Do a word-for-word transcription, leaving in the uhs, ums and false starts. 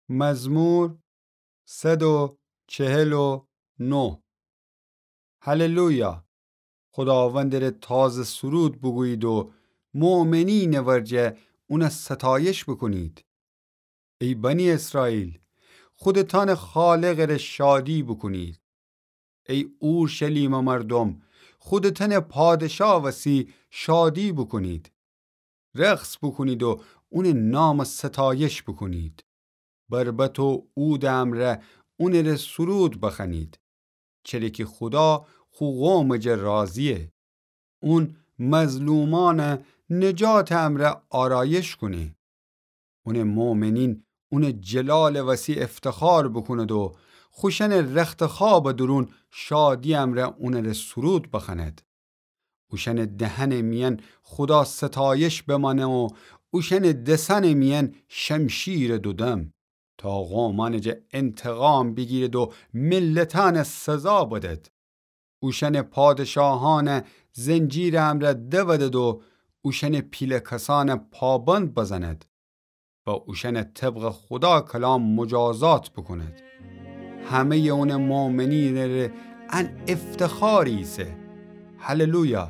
مزمور صد و چهل و نه. هللویا! خوداوندٚ ره تازه سرود بوگویید و مؤمنینٚ ورجه اونَ ستایش بوکونید. ای بنی اسرائیل، خودتأنٚ خالقٚ ره شادی بوکونید. ای اورشلیمٚ مردوم، خودتأنٚ پادشا وسی شادی بوکونید. رقص بوکونید و اونٚ نامٚ ستایش بوکونید. بربط و عودٚ امرأ اونٚ ره سرود بخوأنید. چره کی خودا خو قومٚ جا راضییه. اون مظلومأنٚ نجاتٚ امرأ آرایش کونه. اونٚ مؤمنین اونٚ جلالٚ وسی افتخار بوکوند و خوشأنٚ رختخوابٚ دورون شادی امرأ اونٚ ره سرود بخوأند. اوشأنٚ دهنٚ میأن خودا ستایش بمأنه و اوشأنٚ دسأنٚ میأن شمشیرٚ دودم، تا قومأنٚ جا انتقام بیگیرد و ملتأنٚ سزا بدد. اوشأنٚ پادشاهأنٚ زنجیرٚ امرأ دودد و اوشأنٚ پیله کسأنٚ پابند بزند و اوشأنٚ طبقٚ خودا کلام مجازات بوکوند. همه‌یٚ اونٚ مؤمنینٚ ره ان افتخاری ایسه. هللویا!